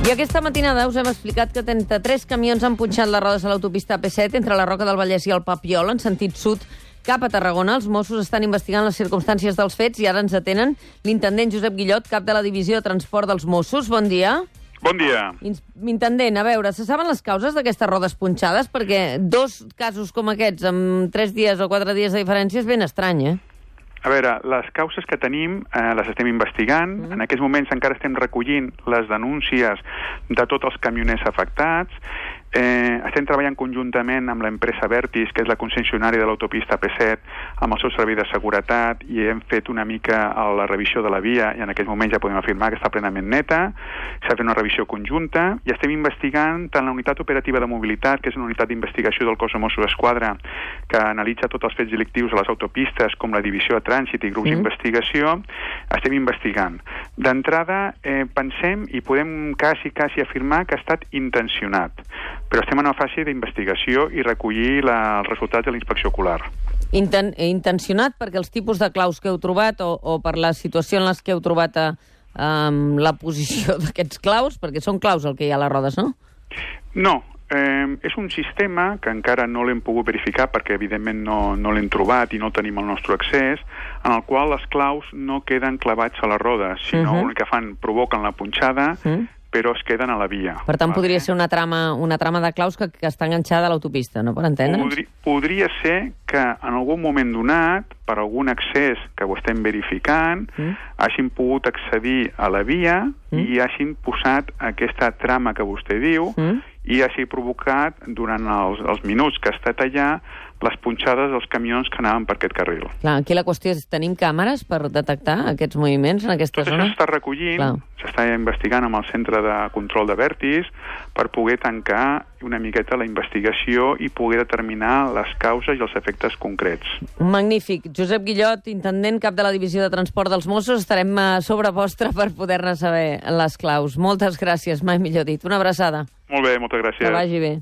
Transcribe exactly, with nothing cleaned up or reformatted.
I aquesta matinada us hem explicat que trenta-tres camions han punxat les rodes a l'autopista A P set entre la Roca del Vallès i el Papiol, en sentit sud cap a Tarragona. Els Mossos estan investigant les circumstàncies dels fets i ara ens atenen l'intendent Josep Guillot, cap de la Divisió de Transport dels Mossos. Bon dia. Bon dia. Intendent, a veure, se saben les causes d'aquestes rodes punxades? Perquè dos casos com aquests, amb tres dies o quatre dies de diferència, és ben estrany, eh? A veure, les causes que tenim eh, les estem investigant. Mm. En aquests moments encara estem recollint les denúncies de tots els camioners afectats. Eh, estem treballant conjuntament amb l'empresa Vertis, que és la concessionària de l'autopista A P set, amb el seu servei de seguretat, i hem fet una mica la revisió de la via, i en aquest moment ja podem afirmar que està plenament neta. S'ha fet una revisió conjunta, i estem investigant tant la unitat operativa de mobilitat, que és una unitat d'investigació del cos de Mossos d'Esquadra, que analitza tots els fets delictius a les autopistes, com la divisió de trànsit i grups mm. d'investigació. Estem investigant. D'entrada, eh, pensem i podem quasi, quasi afirmar que ha estat intencionat, però estem en una fase d'investigació i recollir la, els resultats de la inspecció ocular. Inten, intencionat perquè els tipus de claus que heu trobat o, o per la situació en les que heu trobat a, um, la posició d'aquests claus? Perquè són claus el que hi ha a les rodes, no? No. Eh, és un sistema que encara no l'hem pogut verificar perquè evidentment no, no l'hem trobat i no tenim el nostre accés, en el qual les claus no queden clavats a les rodes, sinó uh-huh. el que fan, provoquen la punxada, uh-huh. però es queden a la via. Per tant, podria ser una trama, una trama de claus que, que està enganxada a l'autopista, no? Per entendre'ns? Podri, podria ser que en algun moment donat, per algun accés que ho estem verificant, mm. hagin pogut accedir a la via mm. i hagin posat aquesta trama que vostè diu mm. i hagi provocat, durant els, els minuts que ha estat allà, les punxades dels camions que anaven per aquest carril. Clar, aquí la qüestió és, tenim càmeres per detectar aquests moviments en aquesta Tot zona? Tot això s'està recollint, s'està investigant amb el centre de control de Vertis per poder tancar una miqueta la investigació i poder determinar les causes i els efectes concrets. Magnífic. Josep Guillot, intendent, cap de la Divisió de Transport dels Mossos, estarem a sobre vostre per poder-ne saber les claus. Moltes gràcies, mai millor dit. Una abraçada. Molt bé, moltes gràcies. Que vagi bé.